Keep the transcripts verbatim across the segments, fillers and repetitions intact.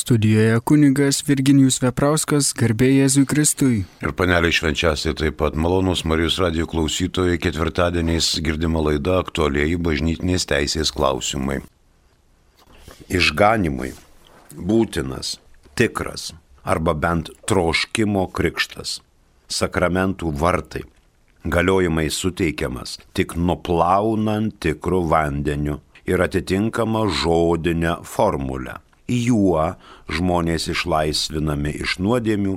Studijoje kunigas Virginijus Veprauskas, garbė Jėzui Kristui. Ir panelė švenčiausiai taip pat malonūs Marijos radijo klausytojai, ketvirtadieniais girdima laida aktualieji bažnytinės teisės klausimai. Išganimui būtinas, tikras arba bent troškimo krikštas, sakramentų vartai, galiojimai suteikiamas tik nuplaunant tikrų vandeniu ir atitinkama žodinę formulę. Juo žmonės išlaisvinami iš nuodėmių,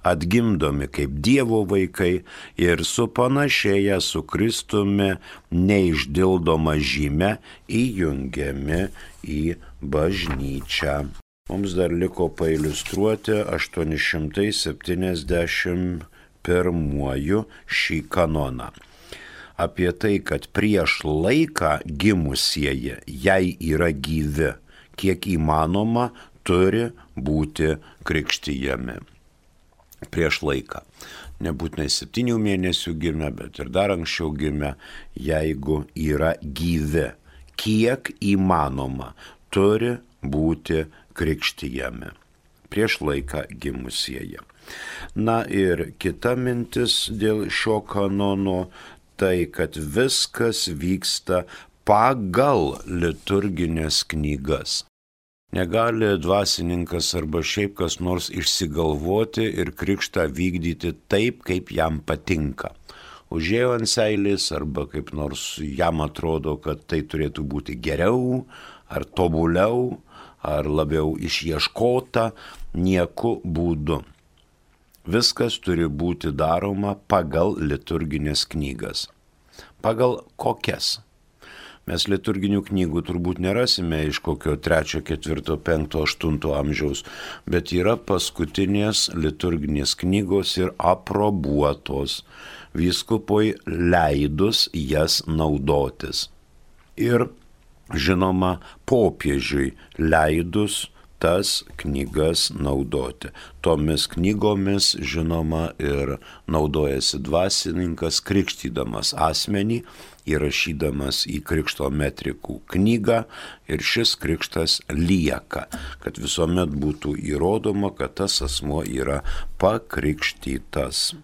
atgimdomi kaip Dievo vaikai ir supanašėję su Kristumi neišdildoma žyme įjungiami į bažnyčią. Mums dar liko pailiustruoti aštuoni šimtai septyniasdešimt pirmuoju šį kanoną. Apie tai, kad prieš laiką gimusieji, jei yra gyvi, kiek įmanoma, turi būti krikštijami. Prieš laiką. Nebūtinai septynių mėnesių gimę, bet ir dar anksčiau gimę, jeigu yra gyvi, kiek įmanoma, turi būti krikštijami. Prieš laiką gimusieji. Na ir kita mintis dėl šio kanono, tai kad viskas vyksta pagal liturginės knygas. Negali dvasininkas arba šiaip kas nors išsigalvoti ir krikštą vykdyti taip, kaip jam patinka. Užėjo ant seilės arba kaip nors jam atrodo, kad tai turėtų būti geriau, ar tobuliau, ar labiau išieškota, nieku būdu. Viskas turi būti daroma pagal liturginės knygas. Pagal kokias? Mes liturginių knygų turbūt nerasime iš kokio trečio, ketvirto, penkto, aštunto amžiaus, bet yra paskutinės liturginės knygos ir aprobuotos, vyskupui leidus jas naudotis. Ir, žinoma, popiežiui leidus tas knygas naudoti. Tomis knygomis, žinoma, ir naudojasi dvasininkas, krikštydamas asmenį, įrašydamas į krikšto metrikų knygą, ir šis krikštas lieka, kad visuomet būtų įrodoma, kad tas asmuo yra pakrikštytas.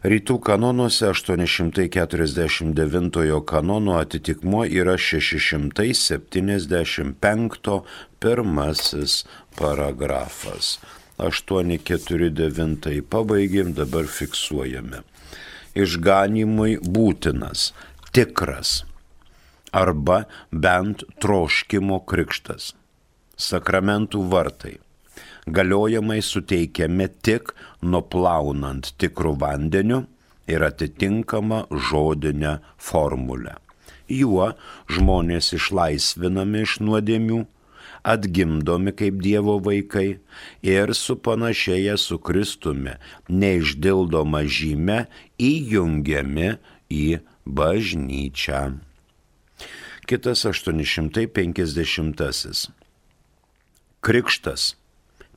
Rytų kanonuose aštuoni šimtai keturiasdešimt devintojo kanono atitikmuo yra šeši šimtai septyniasdešimt penkto pirmasis paragrafas. aštuoni keturi devyni pabaigėm, dabar fiksuojame. Išganimui būtinas, tikras arba bent troškimo krikštas, sakramentų vartai, galiojimai suteikiami tik nuplaunant tikrų vandeniu ir atitinkama žodinę formulę. Juo žmonės išlaisvinami iš nuodėmių, atgimdomi kaip Dievo vaikai ir supanašėję su Kristumi neišdildoma žyme įjungiami į bažnyčią. Kitas aštuoni šimtai penkiasdešimtasis. Krikštas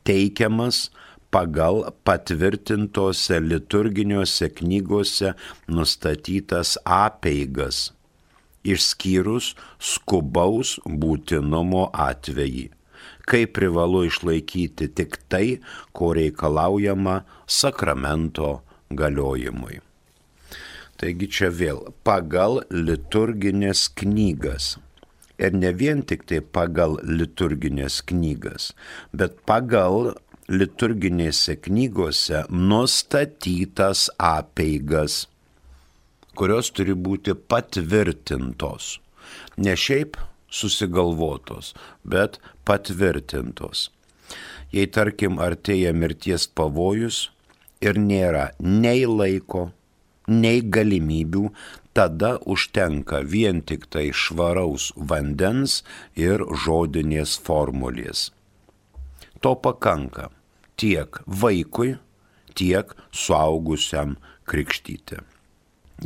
teikiamas pagal patvirtintose liturginiuose knygose nustatytas apeigas, išskyrus skubaus būtinumo atvejį, kai privalu išlaikyti tik tai, ko reikalaujama sakramento galiojimui. Taigi čia vėl pagal liturginės knygas. Ir ne vien tik tai pagal liturginės knygas, bet pagal liturginėse knygose nustatytas apeigas, kurios turi būti patvirtintos. Ne šiaip susigalvotos, bet patvirtintos. Jei, tarkim, artėja mirties pavojus ir nėra nei laiko, nei galimybių, tada užtenka vien tik tai švaraus vandens ir žodinės formulės. To pakanka tiek vaikui, tiek suaugusiam krikštyti.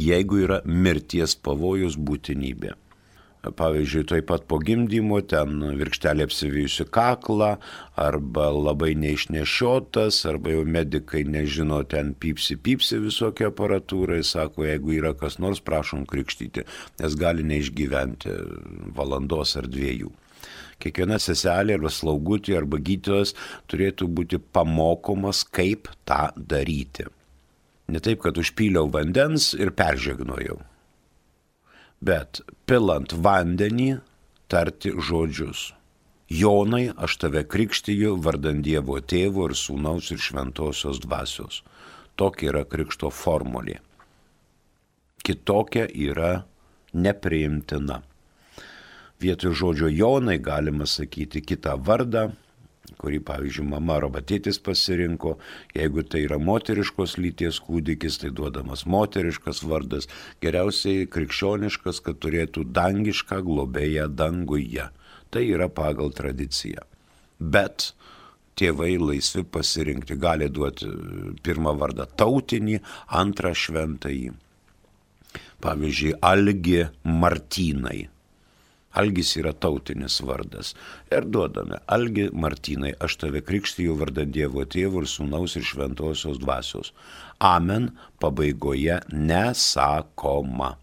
Jeigu yra mirties pavojus būtinybė. Pavyzdžiui, taip pat po gimdymo ten virkštelė apsivijusi kaklą, arba labai neišnešiotas, arba jau medikai nežino, ten pypsi, pypsi visokie aparatūrai, sako, jeigu yra kas nors, prašom krikštyti, nes gali neišgyventi valandos ar dviejų. Kiekviena seselė arba slaugutė arba gydytojas turėtų būti pamokomas, kaip tą daryti. Ne taip, kad užpyliau vandens ir peržegnojau, bet pilant vandenį tarti žodžius. Jonai, aš tave krikštiju vardant Dievo Tėvo ir Sūnaus ir Šventosios Dvasios. Tokia yra krikšto formulė. Kitokia yra nepriimtina. Vietoj žodžio Jonai galima sakyti kitą vardą, kurį, pavyzdžiui, mama arba tėtis pasirinko. Jeigu tai yra moteriškos lyties kūdikis, tai duodamas moteriškas vardas. Geriausiai krikščioniškas, kad turėtų dangišką globėją danguje. Tai yra pagal tradiciją. Bet tėvai laisvi pasirinkti, gali duoti pirmą vardą tautinį, antrą šventąjį. Pavyzdžiui, Algi Martynai. Algis yra tautinis vardas. Ir duodame, Algi Martynai, aš tave krikštiju vardant Dievo Tėvo ir Sūnaus ir Šventosios Dvasios. Amen pabaigoje nesakoma.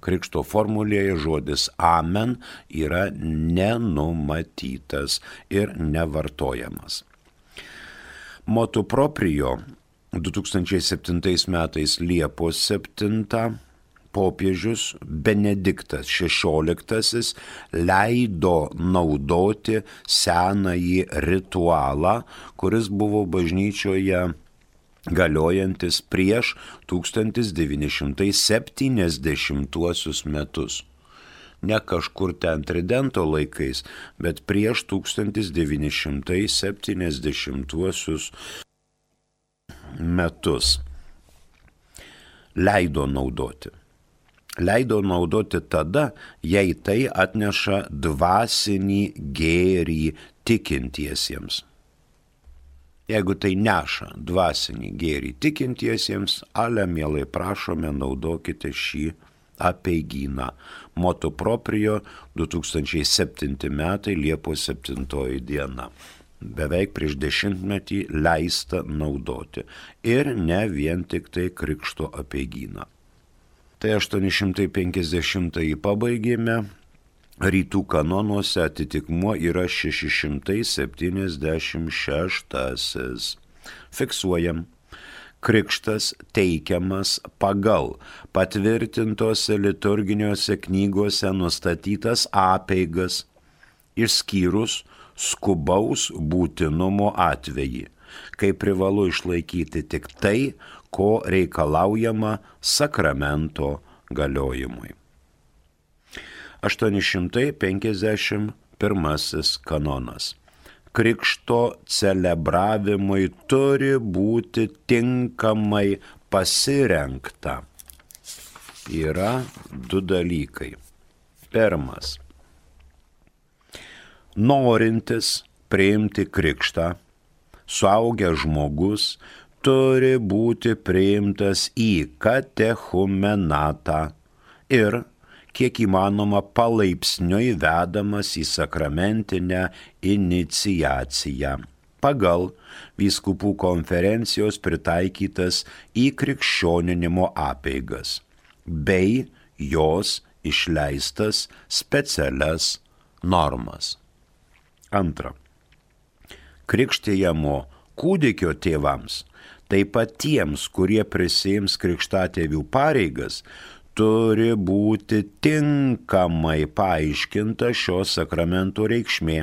Krikšto formulėje žodis amen yra nenumatytas ir nevartojamas. Motu proprio du tūkstančiai septintais metais Liepos septintą popiežius Benediktas šešioliktasis leido naudoti senąjį ritualą, kuris buvo bažnyčioje galiojantis prieš tūkstantis devyni šimtai septyniasdešimtuosius metus. Ne kažkur ten tridento laikais, bet prieš tūkstantis devyni šimtai septyniasdešimtuosius metus. Leido naudoti. Leido naudoti tada, jei tai atneša dvasinį gėrį tikintiesiems. Jeigu tai neša dvasinį gėrį tikintiesiems, ale mielai prašome, naudokite šį apeigyną. Motu proprio du tūkstančiai septinti metai Liepos septintoji diena. Beveik prieš dešimtmetį leista naudoti. Ir ne vien tik tai krikšto apeigyną. Tai aštuoni šimtai penkiasdešimtąjį pabaigėme, rytų kanonuose atitikmuo yra šeši šimtai septyniasdešimt šeštasis. Fiksuojam, krikštas teikiamas pagal patvirtintose liturginiuose knygose nustatytas apeigas, išskyrus skubaus būtinumo atvejį, kai privalu išlaikyti tik tai, ko reikalaujama sakramento galiojimui. aštuoni šimtai penkiasdešimt pirmasis kanonas. Krikšto celebravimui turi būti tinkamai pasirengta. Yra du dalykai. Pirmas. Norintis priimti krikštą, suaugęs žmogus turi būti priimtas į katechumenatą ir, kiek įmanoma, palaipsniui vedamas į sakramentinę iniciaciją pagal vyskupų konferencijos pritaikytas įkrikščioninimo apeigas bei jos išleistas specialias normas. Antra. Krikštijamo kūdikio tėvams, taip pat tiems, kurie prisiims krikštatėvių pareigas, turi būti tinkamai paaiškinta šio sakramento reikšmė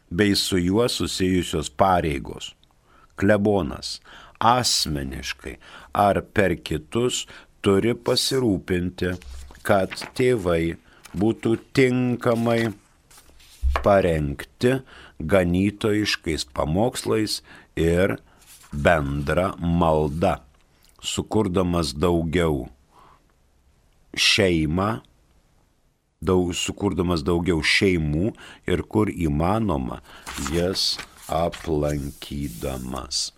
bei su juo susijusios pareigos. Klebonas asmeniškai ar per kitus turi pasirūpinti, kad tėvai būtų tinkamai parengti ganytojiškais pamokslais ir bendra malda, sukurdamas daugiau šeimą, daug, sukurdamas daugiau šeimų ir kur įmanoma jas aplankydamas.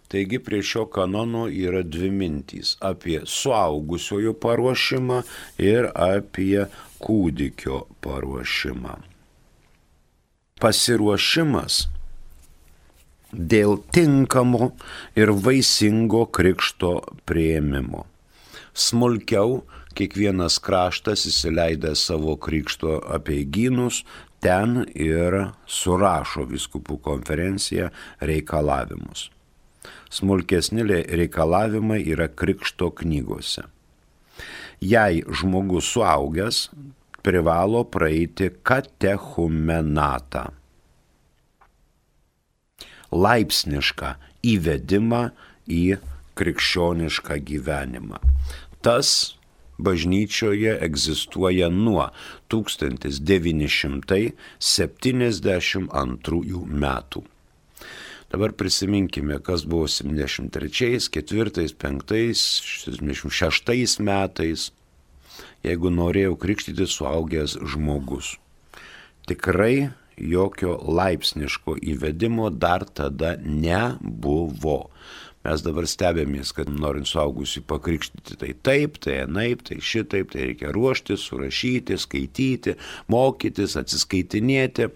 Taigi prie šio kanono yra dvi mintys – apie suaugusiojo paruošimą ir apie kūdikio paruošimą. Pasiruošimas dėl tinkamo ir vaisingo krikšto priėmimo. Smulkiau kiekvienas kraštas įsileidęs savo krikšto apeigynus ten ir surašo vyskupų konferencija reikalavimus. Smulkesni reikalavimai yra krikšto knygose. Jei žmogus suaugęs, privalo praeiti katechumenatą, laipsnišką įvedimą į krikščionišką gyvenimą. Tas bažnyčioje egzistuoja nuo tūkstantis devyni šimtai septyniasdešimt antrųjų metų. Dabar prisiminkime, kas buvo septyniasdešimt trečiais, ketvirtais, penktais, septyniasdešimt šeštais metais, jeigu norėjau krikštyti suaugęs žmogus. Tikrai jokio laipsniško įvedimo dar tada nebuvo. Mes dabar stebėmės, kad norint suaugusių pakrikštyti, tai taip, tai anaip, tai šitaip, tai reikia ruoštis, surašyti, skaityti, mokytis, atsiskaitinėti.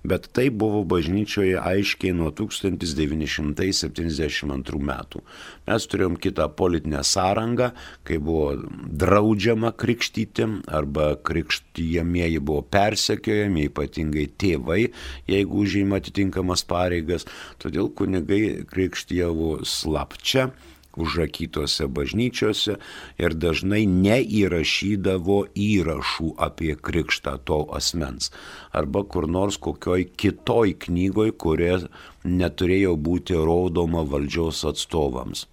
Bet tai buvo bažnyčioje aiškiai nuo tūkstantis devyni šimtai septyniasdešimt antrų metų. Mes turėjom kitą politinę sąrangą, kai buvo draudžiama krikštyti arba krikštijamieji buvo persekiojami, ypatingai tėvai, jeigu užima atitinkamas pareigas. Todėl kunigai krikštijavo slapčia, užrakytose bažnyčiose ir dažnai neįrašydavo įrašų apie krikštą to asmens. Arba kur nors kokioj kitoj knygoj, kurie neturėjo būti rodoma valdžios atstovams.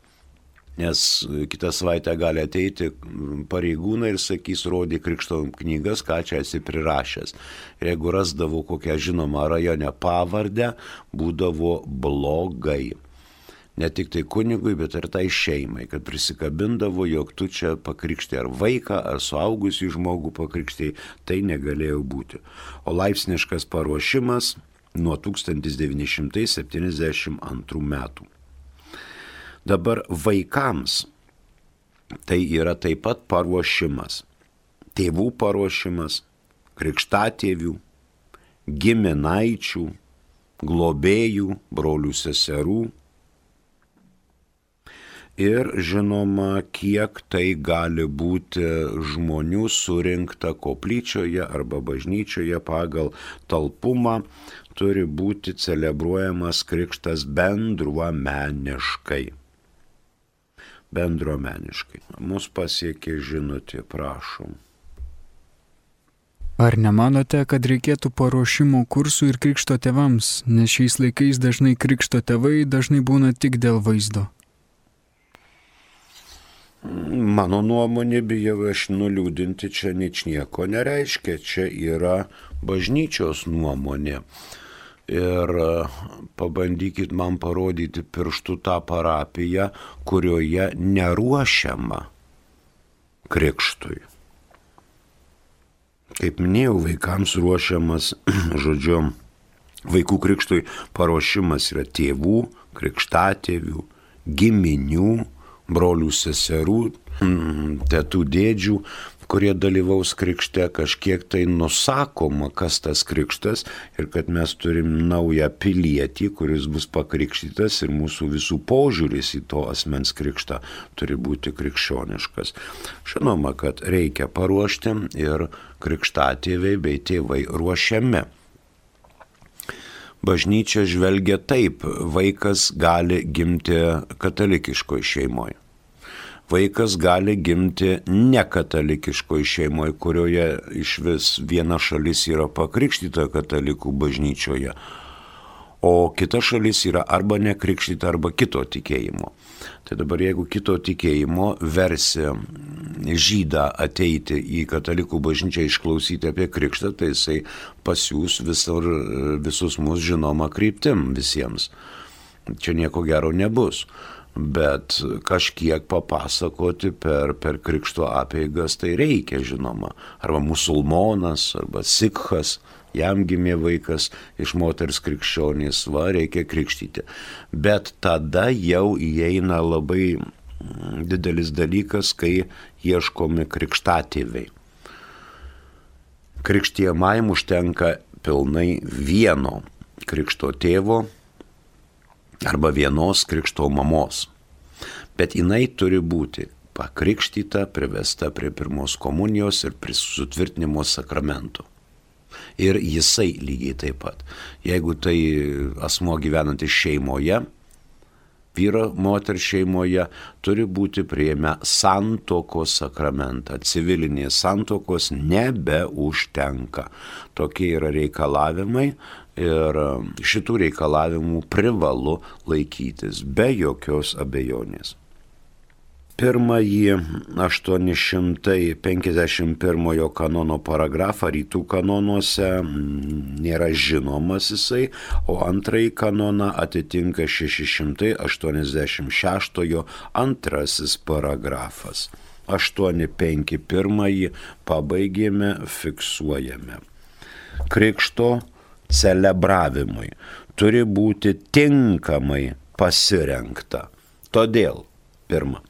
Nes kitą savaitę gali ateiti pareigūnai ir sakys, rodė krikšto knygas, ką čia esi prirašęs. Ir jeigu rasdavo kokią žinomą rajone pavardę, būdavo blogai. Ne tik tai kunigui, bet ir tai šeimai, kad prisikabindavo, jog tu čia pakrikštai ar vaiką, ar suaugusį žmogų pakrikštai, tai negalėjo būti. O laipsniškas paruošimas nuo tūkstantis devyni šimtai septyniasdešimt antrų metų. Dabar vaikams tai yra taip pat paruošimas. Tėvų paruošimas, krikštatėvių, giminaičių, globėjų, brolių seserų. Ir žinoma, kiek tai gali būti žmonių surinkta koplyčioje arba bažnyčioje pagal talpumą, turi būti celebruojamas krikštas bendruomeniškai. Bendruomeniškai. Mus pasiekė žinutė, prašom. Ar nemanote, kad reikėtų paruošimo kursų ir krikšto tėvams, nes šiais laikais dažnai krikšto tėvai dažnai būna tik dėl vaizdo? Mano nuomonė, bijau aš nuliūdinti, čia ničnieko nereiškia, čia yra bažnyčios nuomonė. Ir pabandykit man parodyti pirštų tą parapiją, kurioje neruošiama krikštui. Kaip minėjau, vaikams ruošiamas, žodžiu, vaikų krikštui paruošimas yra tėvų, krikštatėvių, giminių, brolių seserų, tėtų dėdžių, kurie dalyvaus krikšte, kažkiek tai nusakoma, kas tas krikštas ir kad mes turim naują pilietį, kuris bus pakrikštytas ir mūsų visų požiūris į to asmens krikštą turi būti krikščioniškas. Žinoma, kad reikia paruošti ir krikštatėviai bei tėvai ruošiami. Bažnyčia žvelgia taip, vaikas gali gimti katalikiškoje šeimoje. Vaikas gali gimti nekatalikiškoje šeimoje, kurioje iš vis viena šalis yra pakrikštyta katalikų bažnyčioje, o kita šalis yra arba nekrikštyta, arba kito tikėjimo. Tai dabar jeigu kito tikėjimo versi žydą ateiti į katalikų bažnyčią išklausyti apie krikštą, tai jisai pasiūs visur, visus mus žinoma kryptim visiems. Čia nieko gero nebus. Bet kažkiek papasakoti per, per krikšto apeigas tai reikia, žinoma. Arba musulmonas, arba sikhas, jam gimė vaikas iš moters krikščionės, va, reikia krikštyti. Bet tada jau įeina labai didelis dalykas, kai ieškomi krikštatėviai. Krikštijamajam užtenka pilnai vieno krikšto tėvo arba vienos krikšto mamos. Bet jinai turi būti pakrikštyta, privesta prie pirmos komunijos ir prie sutvirtinimo sakramento. Ir jisai lygiai taip pat. Jeigu tai asmuo gyvenantis šeimoje, vyro, moter šeimoje, turi būti priėmę santuokos sakramentą. Civilinės santuokos nebeužtenka. Tokie yra reikalavimai ir šitų reikalavimų privalu laikytis be jokios abejonės. Pirmąjį aštuoni šimtai penkiasdešimt pirmojo kanono paragrafą rytų kanonuose nėra žinomas jisai, o antrąjį kanoną atitinka šeši šimtai aštuoniasdešimt šeštojo antrasis paragrafas. aštuoni penki pirmąjį pabaigėme, fiksuojame. Krikšto celebravimui turi būti tinkamai pasirengta. Todėl, pirma,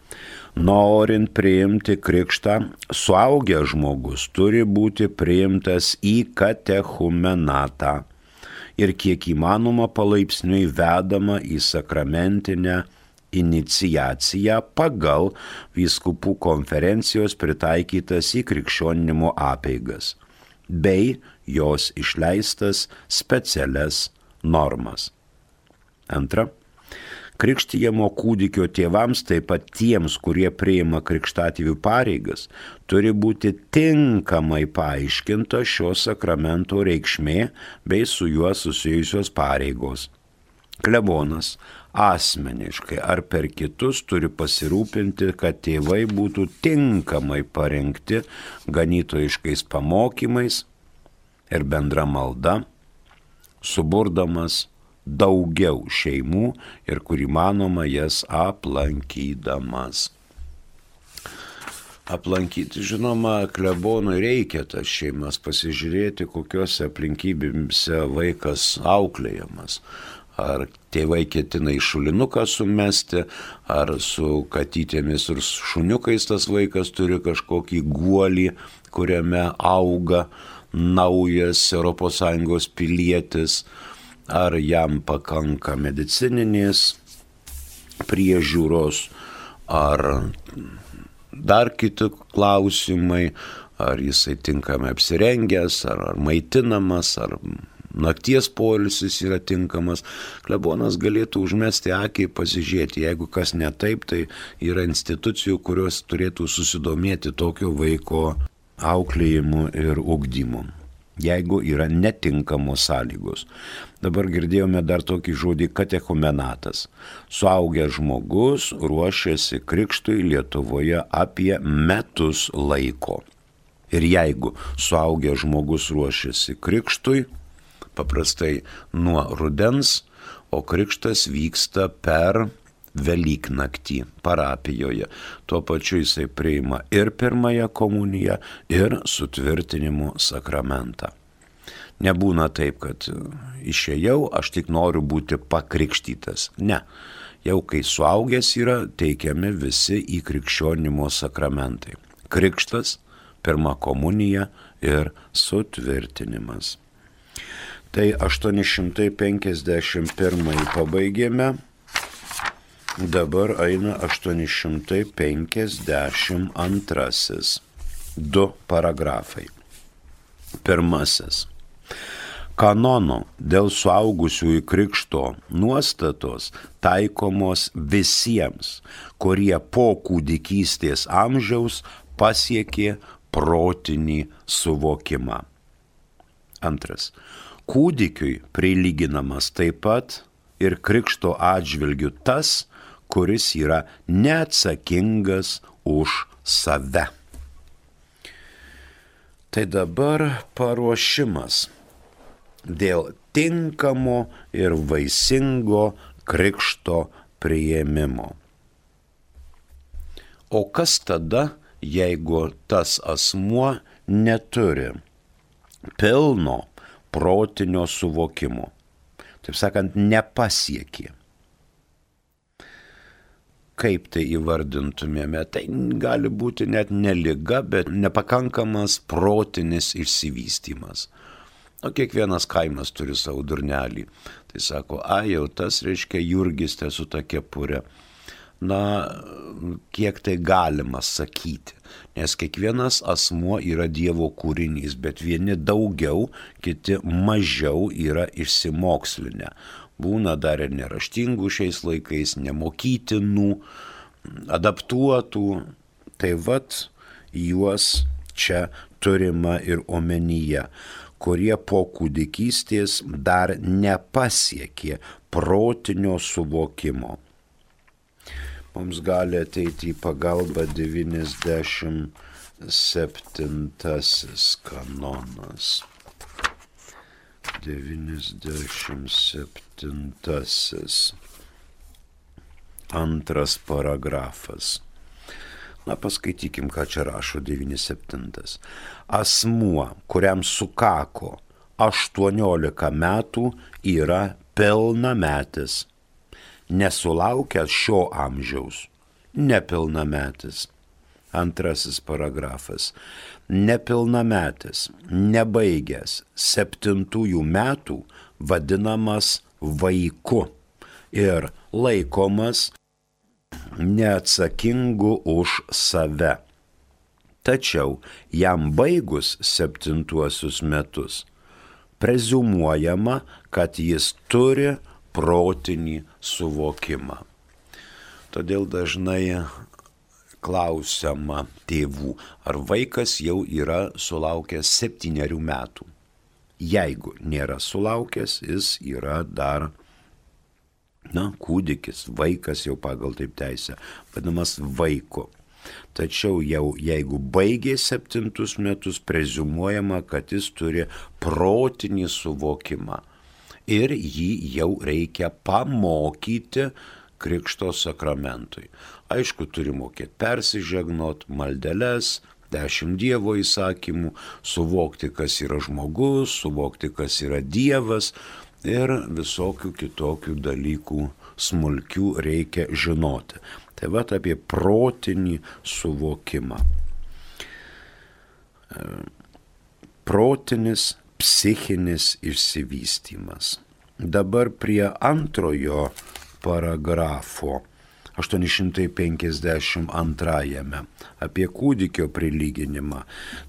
norint priimti krikštą, suaugęs žmogus turi būti priimtas į katechumenatą ir kiek įmanoma palaipsniui vedama į sakramentinę iniciaciją pagal vyskupų konferencijos pritaikytas įkrikščioninimo apeigas bei jos išleistas specialias normas. Antra, krikštijamo kūdikio tėvams, taip pat tiems, kurie priima krikštatėvių pareigas, turi būti tinkamai paaiškinta šio sakramento reikšmė bei su juo susijusios pareigos. Klebonas asmeniškai ar per kitus turi pasirūpinti, kad tėvai būtų tinkamai parengti ganytojiškais pamokymais ir bendra malda, suburdamas daugiau šeimų ir kur įmanoma jas aplankydamas. Aplankyti, žinoma, klebonui reikia tas šeimas, pasižiūrėti, kokiuose aplinkybėse vaikas auklėjamas. Ar tėvai ketina į šulinuką sumesti, ar su katytėmis ir šuniukais tas vaikas turi kažkokį guolį, kuriame auga naujas Europos Sąjungos pilietis, ar jam pakanka medicininės priežiūros, ar dar kiti klausimai, ar jisai tinkamai apsirengęs, ar, ar maitinamas, ar nakties poilsis yra tinkamas. Klebonas galėtų užmesti akį, pasižiūrėti, jeigu kas ne taip, tai yra institucijų, kurios turėtų susidomėti tokio vaiko auklėjimu ir ugdymu, jeigu yra netinkamos sąlygos. Dabar girdėjome dar tokį žodį katechumenatas. Suaugęs žmogus ruošiasi krikštui Lietuvoje apie metus laiko. Ir jeigu suaugęs žmogus ruošiasi krikštui, paprastai nuo rudens, o krikštas vyksta per Velyknaktį parapijoje. Tuo pačiu jisai priima ir pirmąją komuniją, ir sutvirtinimo sakramentą. Nebūna taip, kad išėjau, aš tik noriu būti pakrikštytas. Ne, jau kai suaugęs yra, teikiami visi įkrikščionimo sakramentai. Krikštas, pirma komunija ir sutvirtinimas. Tai aštuoni šimtai penkiasdešimt pirmąjį pabaigėme. Dabar eina aštuoni šimtai penkiasdešimt antrasis. Du paragrafai. Pirmasis. Kanono dėl suaugusiųjų krikšto nuostatos taikomos visiems, kurie po kūdikystės amžiaus pasiekė protinį suvokimą. Antras. Kūdikiui prilyginamas taip pat ir krikšto atžvilgiu tas, kuris yra neatsakingas už save. Tai dabar paruošimas dėl tinkamo ir vaisingo krikšto priėmimo. O kas tada, jeigu tas asmuo neturi pilno protinio suvokimo? Taip sakant, nepasiekė. Kaip tai įvardintumėme? Tai gali būti net ne liga, bet nepakankamas protinis išsivystymas. O kiekvienas kaimas turi savo durnelį. Tai sako, a, jau tas reiškia Jurgis su ta kepurė. na, kiek tai galima sakyti. Nes kiekvienas asmuo yra Dievo kūrinys, bet vieni daugiau, kiti mažiau yra išsimokslinę. Būna dar ir neraštingų šiais laikais, nemokytinų, adaptuotų. Tai vat juos čia turima ir omenyje, kurie po kūdikystės dar nepasiekė protinio suvokimo. Mums gali ateiti į pagalbą devyniasdešimt septintasis kanonas. devyniasdešimt septintasis antras paragrafas. Na, paskaitykim, ką čia rašo devyniasdešimt septintas. Asmuo, kuriam sukako aštuoniolika metų, yra pilnametis. Nesulaukęs šio amžiaus, nepilnametis. Antrasis paragrafas. Nepilnametis, nebaigęs septintųjų metų, vadinamas vaiku ir laikomas neatsakingu už save. Tačiau jam baigus septintuosius metus, preziumuojama, kad jis turi protinį suvokimą. Todėl dažnai klausiama tėvų, ar vaikas jau yra sulaukęs septynerių metų. Jeigu nėra sulaukęs, jis yra dar, na, kūdikis, vaikas jau pagal taip teisę, vadinamas vaiku. Tačiau jau jeigu baigė septintus metus, preziumuojama, kad jis turi protinį suvokimą. Ir jį jau reikia pamokyti krikšto sakramentui. Aišku, turi mokėti persižegnot, maldeles, dešimt Dievo įsakymų, suvokti, kas yra žmogus, suvokti, kas yra Dievas ir visokių kitokių dalykų smulkių reikia žinoti. Tai vat apie protinį suvokimą. Protinis psichinis išsivystymas. Dabar prie antrojo paragrafo, aštuoni šimtai penkiasdešimt antrajame, apie kūdikio prilyginimą.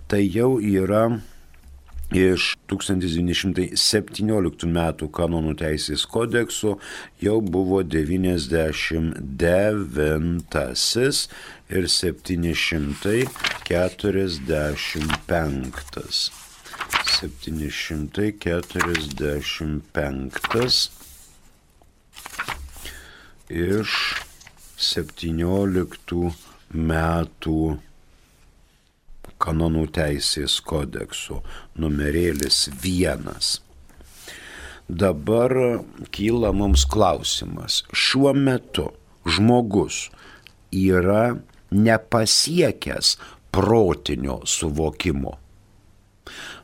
Tai jau yra iš tūkstantis devyni šimtai septynioliktų metų kanonų teisės kodekso, jau buvo devyniasdešimt devintasis ir septyni šimtai keturiasdešimt penktas. septyni šimtai keturiasdešimt penktas iš septynioliktų metų kanonų teisės kodekso, numerėlis vienas. Dabar kyla mums klausimas. Šiuo metu žmogus yra nepasiekęs protinio suvokimo,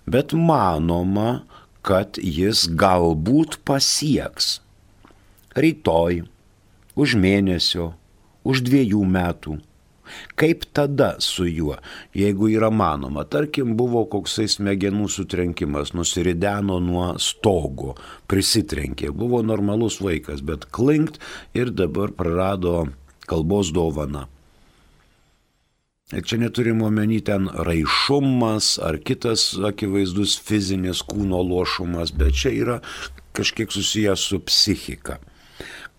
bet manoma, kad jis galbūt pasieks rytoj, už mėnesio, už dviejų metų. Kaip tada su juo, jeigu yra manoma, tarkim, buvo koksai smegenų sutrenkimas, nusirideno nuo stogo, prisitrenkė, buvo normalus vaikas, bet klinkt ir dabar prarado kalbos dovaną. Ir čia neturime omeny ten raišumas ar kitas akivaizdus fizinis kūno lošumas, bet čia yra kažkiek susijęs su psichika.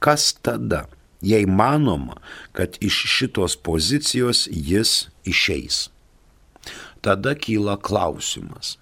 Kas tada? Jei manoma, kad iš šitos pozicijos jis išeis. Tada kyla klausimas.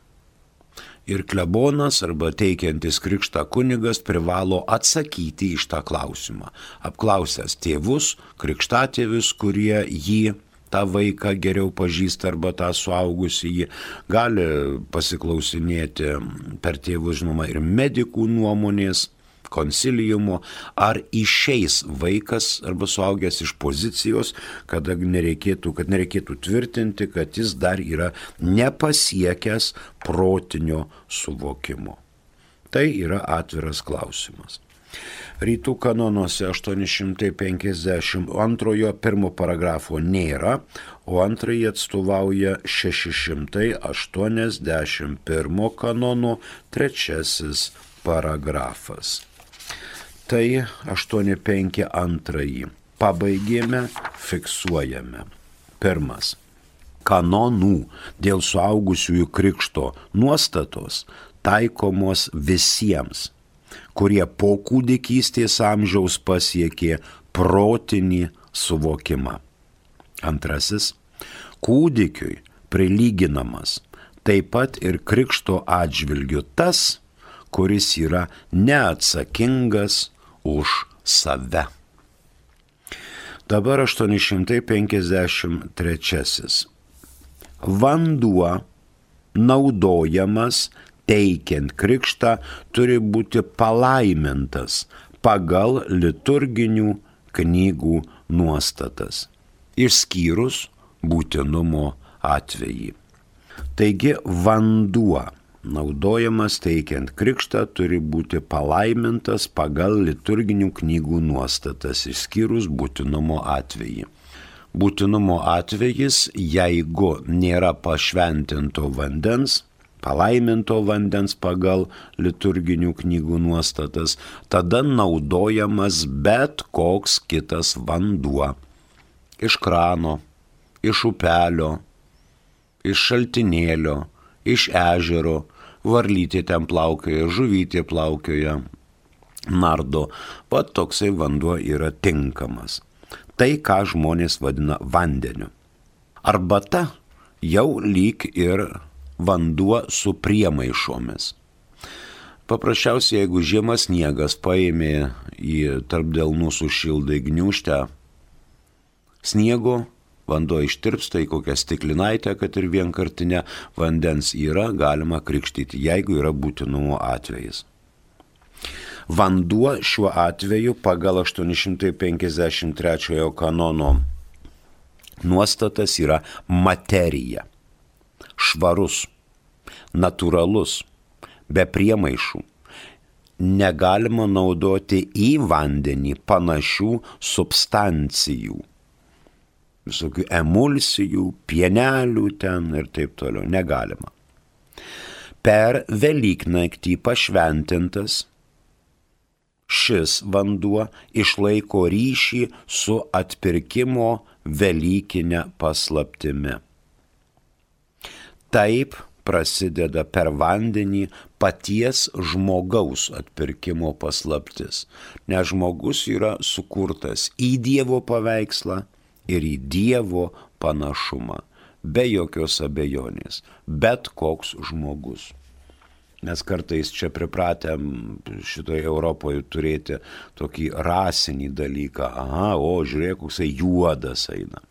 Ir klebonas arba teikiantis krikštą kunigas privalo atsakyti iš tą klausimą. Apklausęs tėvus, krikštatėvius, kurie jį, tą vaiką geriau pažįsta arba tą suaugusį, jį gali pasiklausinėti per tėvus, žinoma, ir medikų nuomonės, konsiliumo, ar išeis vaikas arba suaugęs iš pozicijos, kad nereikėtų, kad nereikėtų tvirtinti, kad jis dar yra nepasiekęs protinio suvokimo. Tai yra atviras klausimas. Rytų kanonuose aštuoni šimtai penkiasdešimt antrojo pirmo paragrafo nėra, o antrąjį atstovauja šeši šimtai aštuoniasdešimt pirmo kanono trečiasis paragrafas. Tai aštuoni penki antrąjį pabaigėme, fiksuojame. Pirmas. Kanonų dėl suaugusiųjų krikšto nuostatos taikomos visiems, kurie po kūdikystės amžiaus pasiekė protinį suvokimą. Antrasis. Kūdikiui prilyginamas taip pat ir krikšto atžvilgiu tas, kuris yra neatsakingas už save. Dabar aštuoni šimtai penkiasdešimt trečiasis. Vanduo naudojamas teikiant krikštą turi būti palaimintas pagal liturginių knygų nuostatas, išskyrus būtinumo atvejį. Taigi vanduo naudojamas teikiant krikštą turi būti palaimintas pagal liturginių knygų nuostatas, išskyrus būtinumo atvejį. Būtinumo atvejis, jeigu nėra pašventinto vandens, palaiminto vandens pagal liturginių knygų nuostatas, tada naudojamas bet koks kitas vanduo. Iš krano, iš upelio, iš šaltinėlio, iš ežero, varlytė ten plaukioja, žuvytė plaukioja, nardo. Pat toksai vanduo yra tinkamas. Tai, ką žmonės vadina vandeniu. Arbata jau lyg ir vanduo su priemaišomis. Paprasčiausiai, jeigu žiemas sniegas paėmė į tarp delnų sušildai gniūžtę sniego, vanduo ištirpsta į kokią stiklinaitę, kad ir vienkartinę, vandens yra, galima krikštyti, jeigu yra būtinumo atvejis. Vanduo šiuo atveju pagal aštuoni šimtai penkiasdešimt trečiojo kanono nuostatas yra materija. Švarus, natūralus, be priemaišų. Negalima naudoti į vandenį panašių substancijų. Visokių emulsijų, pienelių ten ir taip toliau. Negalima. Per Velyknaktį pašventintas šis vanduo išlaiko ryšį su atpirkimo velykinė paslaptimi. Taip prasideda per vandenį paties žmogaus atpirkimo paslaptis, nes žmogus yra sukurtas į Dievo paveikslą ir į Dievo panašumą, be jokios abejonės, bet koks žmogus. Mes kartais čia pripratėm šitoje Europoje turėti tokį rasinį dalyką. Aha, o žiūrėk, koksai juodas eina,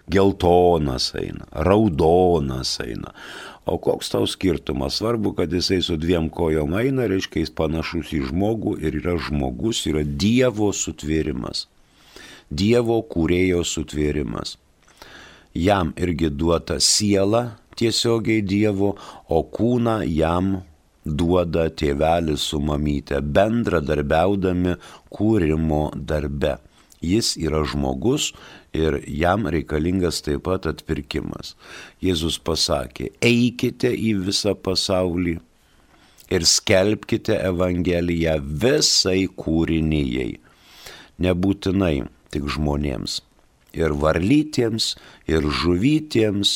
geltonas eina, raudonas eina. O koks tau skirtumas? Svarbu, kad jisai su dviem kojom eina, reiškia jis panašus į žmogų ir yra žmogus, yra Dievo sutvėrimas. Dievo kūrėjo sutvėrimas. Jam irgi duota siela tiesiogiai Dievo, o kūną jam duoda tėvelis su mamyte, bendradarbiaudami kūrimo darbe. Jis yra žmogus ir jam reikalingas taip pat atpirkimas. Jėzus pasakė, eikite į visą pasaulį ir skelbkite Evangeliją visai kūrinijai. Nebūtinai tik žmonėms. Ir varlytėms, ir žuvytėms,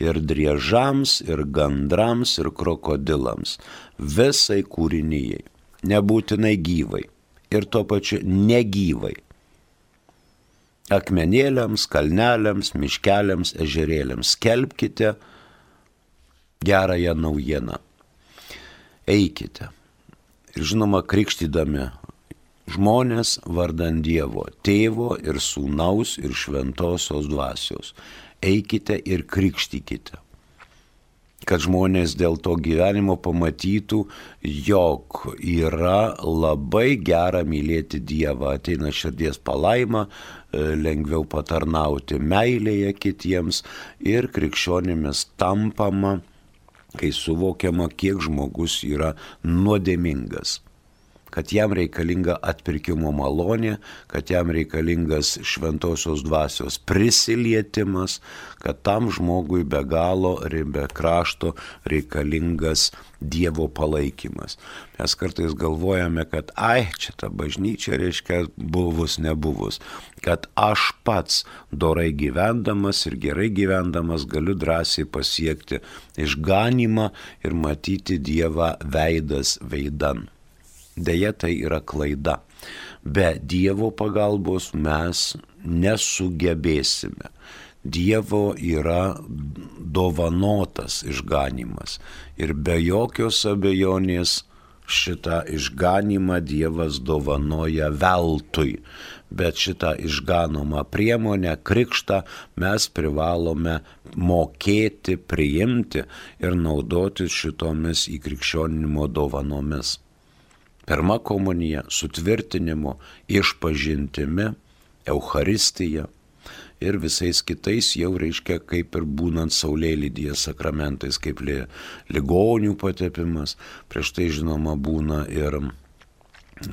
ir driežams, ir gandrams, ir krokodilams. Visai kūrinijai. Nebūtinai gyvai. Ir tuo pačiu negyvai. Akmenėliams, kalneliams, miškeliams, ežerėliams. Skelbkite gerąją naujieną. Eikite. Ir žinoma, krikštydami žmonės vardan Dievo, Tėvo ir Sūnaus ir Šventosios Dvasios. Eikite ir krikštykite, kad žmonės dėl to gyvenimo pamatytų, jog yra labai gera mylėti Dievą, ateina širdies palaima, lengviau patarnauti meilėje kitiems ir krikščionimis tampama, kai suvokiama, kiek žmogus yra nuodėmingas. kad jam reikalinga atpirkimo malonė, kad jam reikalingas šventosios dvasios prisilietimas, kad tam žmogui be galo, be krašto reikalingas Dievo palaikymas. Mes kartais galvojame, kad ai, čia ta bažnyčia reiškia buvus nebuvus, kad aš pats dorai gyvendamas ir gerai gyvendamas galiu drąsiai pasiekti išganymą ir matyti Dievą veidas veidan. Deja, tai yra klaida. Be Dievo pagalbos mes nesugebėsime. Dievo yra dovanotas išganymas ir be jokios abejonės šitą išganymą Dievas dovanoja veltui, bet šitą išganomą priemonę, krikštą, mes privalome mokėti, priimti ir naudotis šitomis įkrikščioninimo dovanomis. Pirma komunija, sutvirtinimu, išpažintimi, Eucharistija ir visais kitais jau reiškia kaip ir būnant saulėlydyje sakramentais, kaip li, ligonių patepimas. Prieš tai žinoma būna ir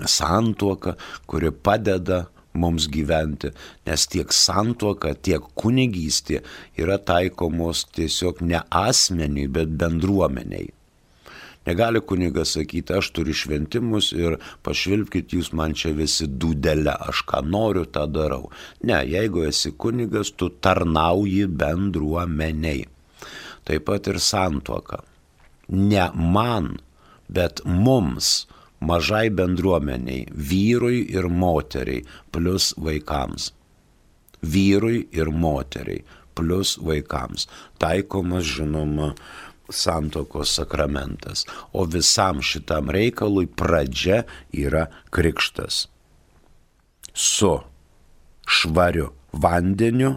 santuoka, kuri padeda mums gyventi, nes tiek santuoka, tiek kunigystė yra taikomos tiesiog ne asmeniui, bet bendruomeniai. Negali kunigas sakyti, aš turiu šventimus ir pašvilpkit jūs man čia visi dūdelę, aš ką noriu, tą darau. Ne, jeigu esi kunigas, tu tarnauji bendruomeniai. Taip pat ir santuoka. Ne man, bet mums, mažai bendruomeniai, vyrui ir moteriai, plus vaikams. Vyrui ir moteriai, plus vaikams. Taikomas, žinoma, santuokos sakramentas, o visam šitam reikalui pradžia yra krikštas. Su švariu vandeniu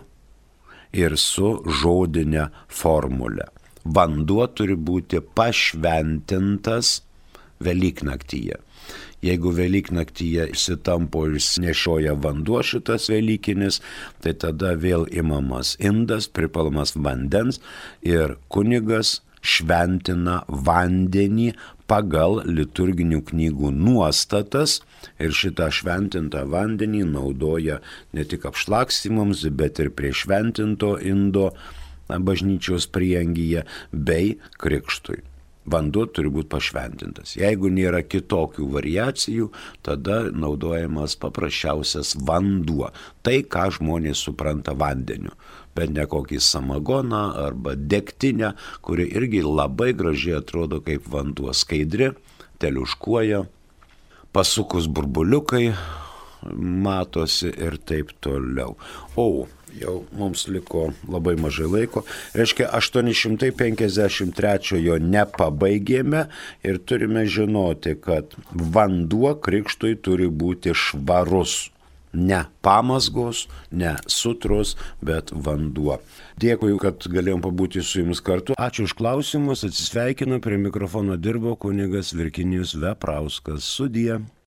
ir su žodinė formulė. Vanduo turi būti pašventintas Velyknaktyje. Jeigu Velyknaktyje išsitampo ir nešioja vanduo šitas velykinis, tai tada vėl imamas indas, pripalamas vandens ir kunigas šventina vandenį pagal liturginių knygų nuostatas ir šitą šventintą vandenį naudoja ne tik apšlakstymams, bet ir prie šventinto indo bažnyčios prieangyje bei krikštui. Vanduo turi būti pašventintas. Jeigu nėra kitokių variacijų, tada naudojamas paprasčiausias vanduo. Tai, ką žmonės supranta vandeniu. Bet ne kokį samagoną arba degtinę, kuri irgi labai gražiai atrodo kaip vanduo, skaidri, teliuškuoja, pasukus burbuliukai matosi ir taip toliau. O, jau mums liko labai mažai laiko. Reiškia, aštuoni šimtai penkiasdešimt trečiojo nepabaigėme ir turime žinoti, kad vanduo krikštui turi būti švarus. Ne pamazgos, ne sutros, bet vanduo. Dėkui, kad galėjom pabūti su jumis kartu. Ačiū už klausimus, atsisveikinu, prie mikrofono dirbo kunigas Virginijus Veprauskas. Sudie.